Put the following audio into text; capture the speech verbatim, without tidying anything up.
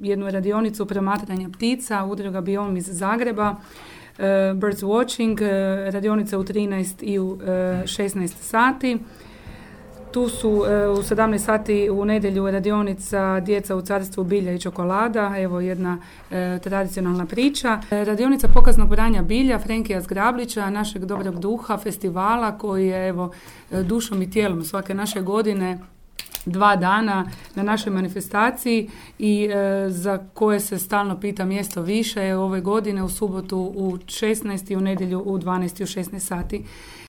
jednu radionicu promatranja ptica, udruga Biom iz Zagreba, uh, Birds Watching, uh, radionica u trinaest i u uh, šesnaest sati. Tu su uh, u sedamnaest sati u nedjelju radionica Djeca u carstvu bilja i čokolada, evo jedna uh, tradicionalna priča. Uh, radionica pokaznog branja bilja Frenkija Zgrablića, našeg dobrog duha, festivala koji je evo dušom i tijelom svake naše godine dva dana na našoj manifestaciji i e, za koje se stalno pita mjesto više ove godine u subotu u šesnaest i u nedjelju u dvanaest i u šesnaest sati.